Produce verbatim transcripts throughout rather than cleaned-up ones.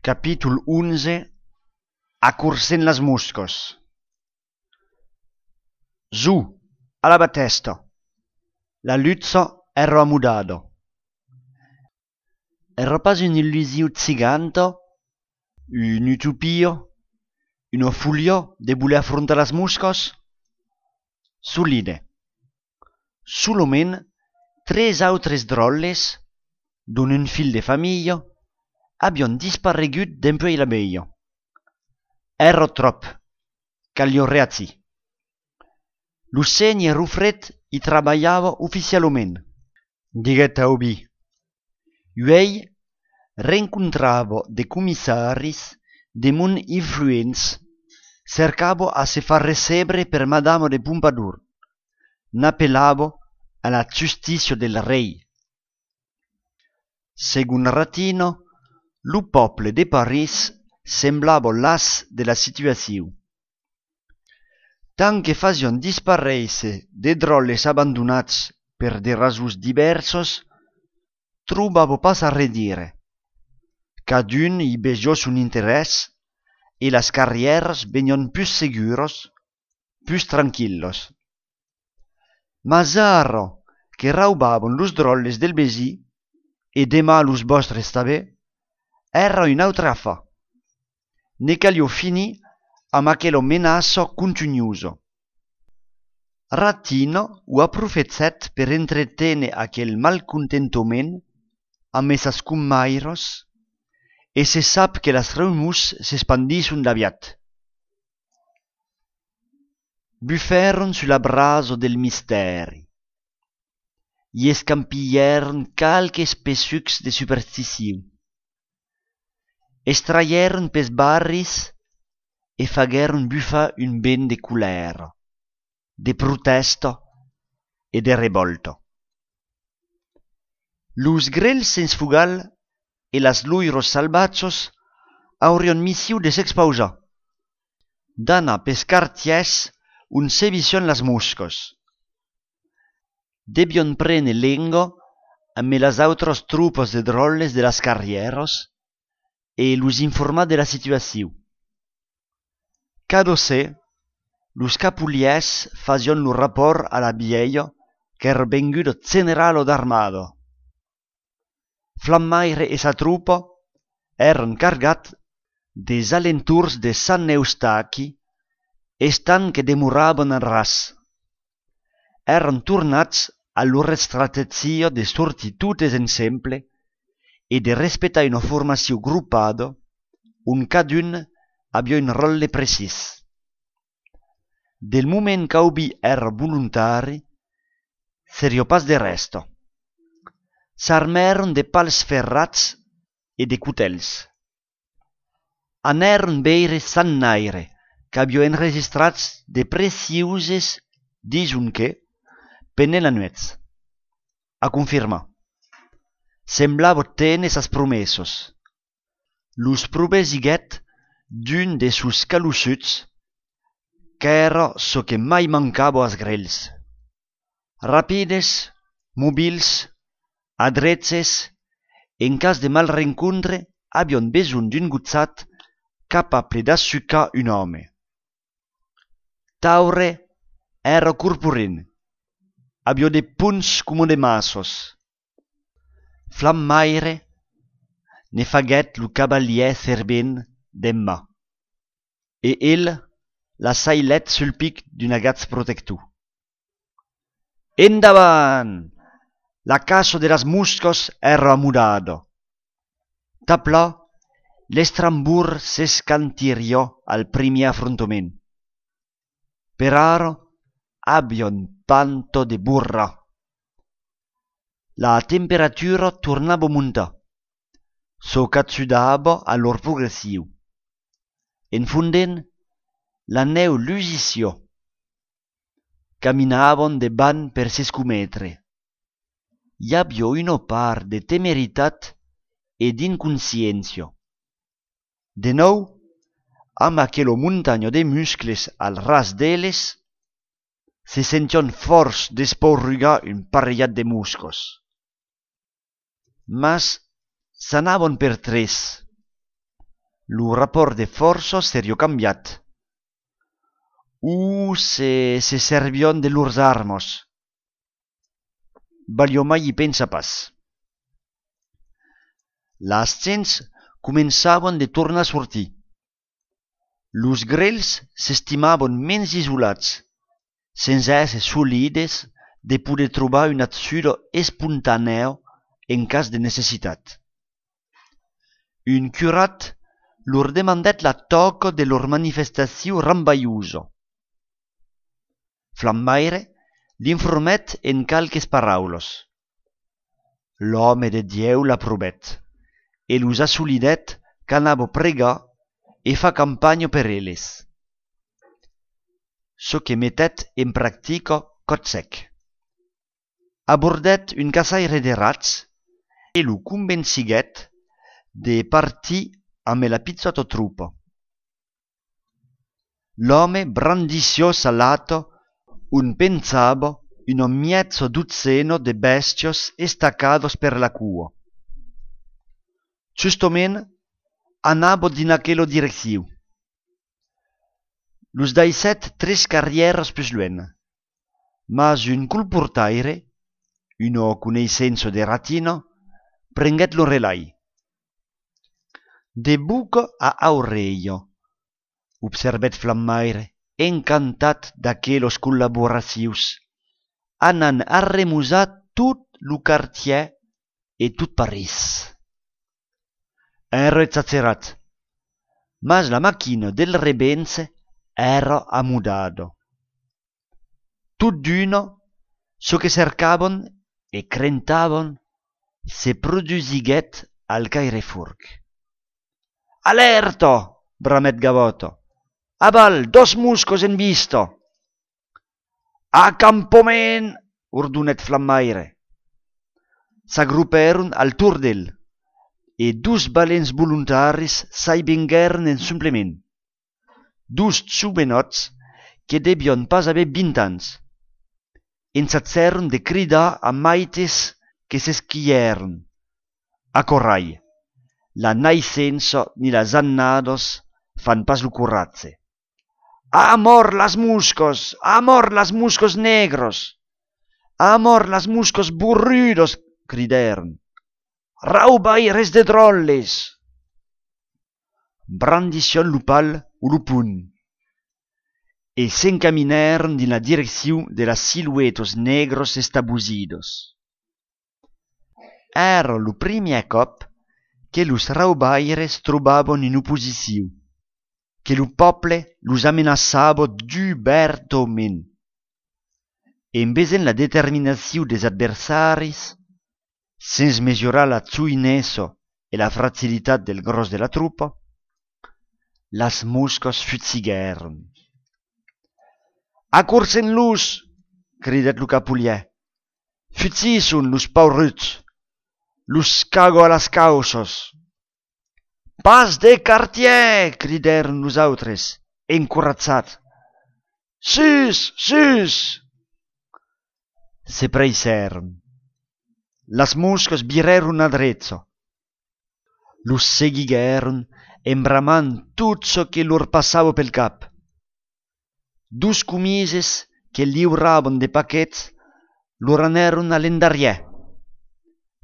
Capítol onze. Acorcent las moscas. Zo, a la batèsta. La lucha èra amodada. Èra pas una illusion giganta, una utopia, una folia de voler afrontar las moscas? Solide. Solament tres autres dròlles, dont un filh de familha, avián disparegut dempuèi la velha. Èra tròp, caliá reagir. Lo sénher Rufret i trabalhava oficialament. Diguèt Taubí. Uèi, rencontrava de comissaris de mond influents, cercava a se far recebre per Madama de Pompadour, n'apelava a la justícia del rei. Segon Ratina, lo pòble de París semblava las de la situacion. Tant que fasián disparéisser de dròlles abandonats per de rasons divèrsas, trobava pas a redire. Cadun i vesiá son interès e las carrièras venián pus seguras, pus tranquillas. Mas ara que raubavan los dròlles del vesin, e demà los vòstres tanben, èra un autre afar. Ne caliá finir amb aquela menaça contunhosa. Ratina o aprofechèt per entreténer aquel malcontentament amb sas comairas, e se sap que las rumors s'espandisson d'aviat. Bufèron sus la brasa del mistèri. I escampilhèron qualques pesucs de supersticion. Estralhèron pels barris e faguèron bufar un vent de colèra, de protèsta e de revòlta. Los grelhs sens fogal e las loiras salvatjas aurián mission de s'expausar, d'anar pels quartièrs ont sevissián las moscas. Devián prene lenga amb las autras tropas de dròlles de las carrièras e los informar de la situacion. Cada ser, los capolièrs fasián lo rapòrt a la vièlha qu'èra venguda generala d'armada. Flammaire e sa tropa èran cargats dels alentorns de Sant Eustaqui, estant que demoravan a ras. Èran tornats a lor estrategia de sortir totes ensemble e de respectar una formacion gropada ont cadun aviá un ròtle precís. Del moment qu'Aubí èra volontari, seriá pas de rèsta. S'armèron de pals ferrats e de cotèls. Anèron veire Sant Naire, qu'aviá enregistrat de precioses, dison que, pendent la nuèch. A confirmar. Semblava téner sas promessas. Los provesiguèt d'un de sos calossuts, qu'èra çò que mai mancava als grelhs. Rapides, mobils, adreches, en cas de mal rencontre, avián besonh d'un gojat capable d'assucar un òme. Taure èra corpulent, aviá de ponts coma de maças. Flammaire ne faguèt lo cavalièr servent d'Emma, e el la sailèt sul pic d'un agach protector. Endavant! La caça de las moscas èra amodada. Tà plan, l'Estrambor s'escantiriá al primièr afrontament. Per ara, avián pas de borrar. La temperatura tornava montar, çò qu'ajudava a lor progression. En fondent, la nèu lusissiá. Caminavan de banh per s'escometre. I aviá una part de temeritat e d'inconsciéncia. De nòu, amb aquela montanha de muscles al ras d'eles, se sentián fòrts d'espaurugar un parelhat de moscas. Mas s'anavan per tres. lo rapòrt de fòrça seriá cambiat. O se se servián de lors armas. Valiá mai i pensar pas. Las gents començavan de tornar sortir. Los grelhs s'estimavan mens isolats, sens èsser solides de poder trobar una ajuda espontanèa en cas de necessitat. Un curat lor demandèt la tòca de lor manifestacion rambalhosa. Flammaire l'informèt en qualques paraulas. L'òme de Dieu l'aprovèt e los assolidèt qu'anava pregar e far campanha per eles. Çò que metèt en practica còp sec. Abordèt un caçaire de rats e lo convençiguèt de partir amb la pichòta tropa. L'òme brandissiá sa lata ont penjava una mièja dotzena de bèstias estacadas per la coa. Justament anava dins aquela direccion. Los daissèt tres carrièras pus luènh, mas un colportaire, una coneissença de Ratina, prenguèt lo relai. De boca a aurelha, observèt Flammaire, encantat d'aquelas collaboracions, anam arremosar tot lo quartièr e tot París. Èra exagerat, mas la maquina del revenge èra amodada. Tot d'una, çò que cercavan e crentavan se produsiguèt al Cairefòrc. Alèrta! Bramèt Gavòta. Aval, dos moscas en vista! Acampament! Ordonèt Flammaire. S'agropèron al torn d'el e dos valents volontaris s'ai venguèron en suplement. Dos jovenòts que devián pas aver vint ans. Ensagèron de cridar a maites que s'esquièron. Aquò rai, la naissença ni las annadas fan pas lo coratge. A mòrt las moscas! A mòrt las moscas negras! A mòrt las moscas borrudas! Cridèron. Raubaires de dròlles! Brandissián lo pal o lo pon e s'encaminèron dins la direccion de las siluetas negras estabosidas. Èra lo primièr còp que los raubaires trobavan una oposicion, que lo pòble los amenaçava dubertament. En vesent la determinacion dels adversaris, sens mesurar la joinessa e la fragilitat del gròs de la tropa, las moscas fugiguèron. Acorsen-los! Cridèt lo capolièr. Fugisson, los pauruts! Los cago a las cauças! Pas de quartièr! Cridèron los autres, encoratjats. Sus! Sus! Se preissèron. Las moscas virèron a drecha. Los seguiguèron en bramant tot çò que lor passava pel cap. Dos comises que liuravan de paquets lor anèron a l'endarrièr.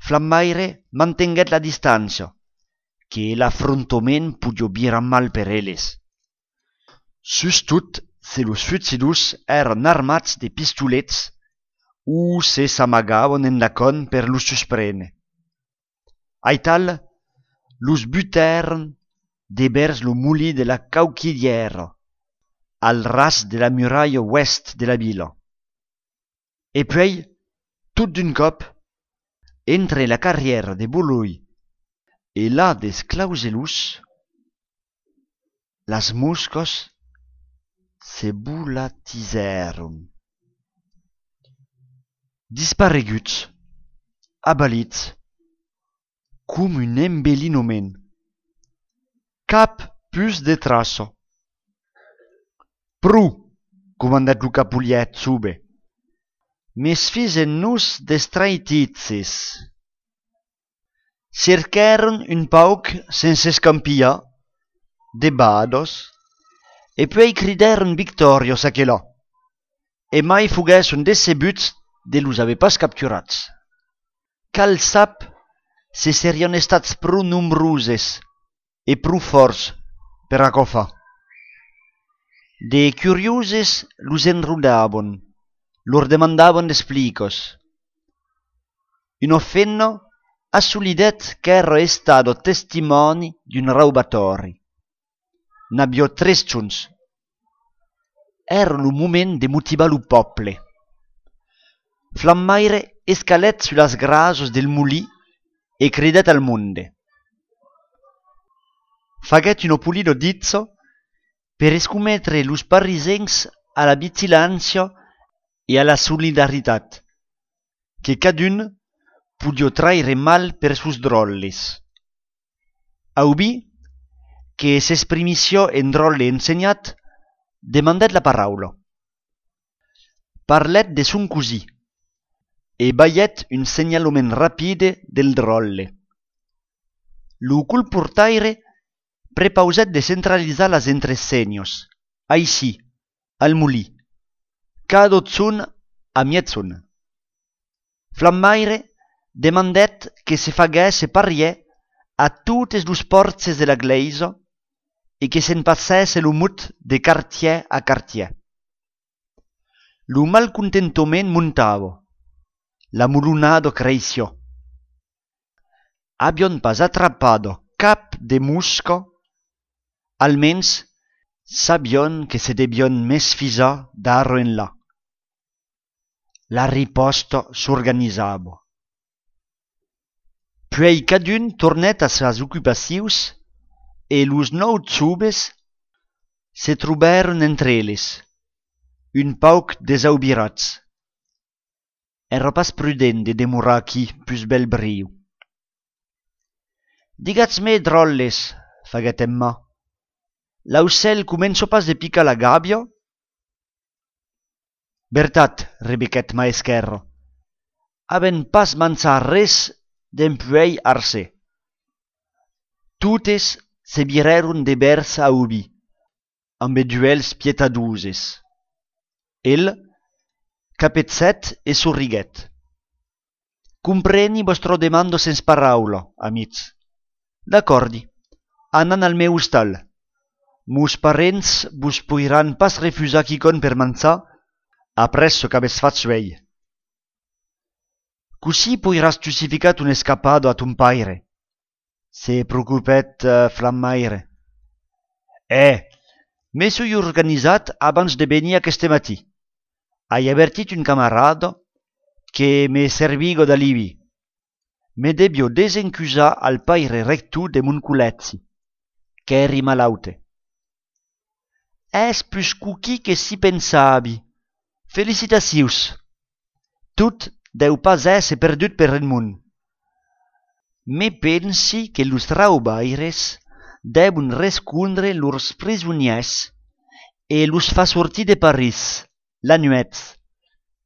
Flammaire mantenguèt la distància, que l'afrontament podiá virar mal per eles. Sustot se los fugidors èran armats de pistolets o se s'amagavan endacòm per los susprene. Aital, los butèron devèrs lo molin de la Cauquilhièra, al ras de la muralha oèst de la vila. E puèi, tot d'un còp, entre la carrièra de Boloi e la dels Clauselós, las moscas se volatisèron. Dispareguts, avalits, com un embelinament. Cap pus de traça. Pro, comandèt lo capolièr jove. Mesfisem-nos d'estraititzes. Cerquèron un pauc sens s'escampilhar de badas, e puèi cridèron victòrias aquela, e mai foguèsson decebuts de los aver pas capturats. Qual sap se serián estats pro nombroses e pro fòrts per aquò far. De curioses los enrodavan, lor demandavan d'explicas. Una femna assolidèt qu'èra estada testimòni d'un raubatòri. N'aviá tres jorns. Èra lo moment de motivar lo pòble. Flammaire escalèt sus las grasas del molin e cridèt al monde. Faguèt una polida ditza per escometre los parisencs a la vigilància e a la solidaritat, que cadun podiá traire mal per sos dròlles. Aubin, que s'exprimissiá en dròlle ensenhat, demandèt la paraula. Parlèt de son cosin e balhèt un senhalament rapide del dròlle. Lo colportaire prepausèt de centralizar las entresenhas, aicí, al molin, cada jorn a miègjorn. Flammaire demandèt que se faguèsse parièr a totes los pòrches de la glèisa e que se'n passèsse lo mot de quartièr a quartièr. Lo malcontentament montava, la molonada creissiá. Avián pas atrapat cap de mosca, almens sabián que se devián mesfisar d'ara enlà. La ripòsta s'organizava. Puèi cadun tornèt a sas ocupacions e los nòu joves se trobèron entre eles, un pauc desaubirats. Èra pas prudent de demorar aquí pus bèl briu. Digatz-me, dròlles, faguèt Emma, l'aucèl comença pas de picar la gàbia? Vertat, rebequèt Maesquèrra, avèm pas manjat res dempuèi arser. Totes se virèron de vèrs a Aubin, ambe d'uèlhs pietadoses. El capegèt e sorriguèt. Compreni vòstra demanda sens paraula, amics. D'acòrdi, anam al meu ostal. Mos parents vos poiràn pas refusar quicòm per manjar après çò qu'avètz fach uèi. Cossí poiràs justificar ton escapada a ton paire? Se preocupèt, eh, Flammaire. Eh, me soi organizat abans de venir aqueste matin. Ai avertit un camarada que me serviga d'alibi. Me deviá desencusar al paire rector de mon collègi, qu'èri malaute. Es pus coquin que si pensavi. Felicitacions! Tot deu pas èsser perdut per Edmond. Me pensi que los raubaires devon rescondre lors prisonièrs e los far sortir de París, la nuèch,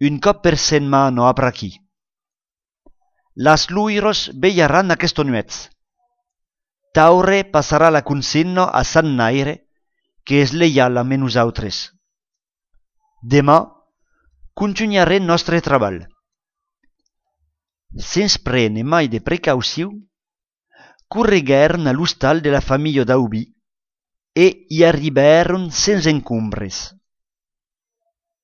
un còp per setmana apr'aquí. Las loiras velharàn aquesta nuèch. Taure passarà la consigna a Sant Naire, que es leial ambe nosautres. Deman, contunharem nòstre trabalh. Sens prene mai de precaucion, correguèron a l'ostal de la familha d'Aubin e i arribèron sens encombres.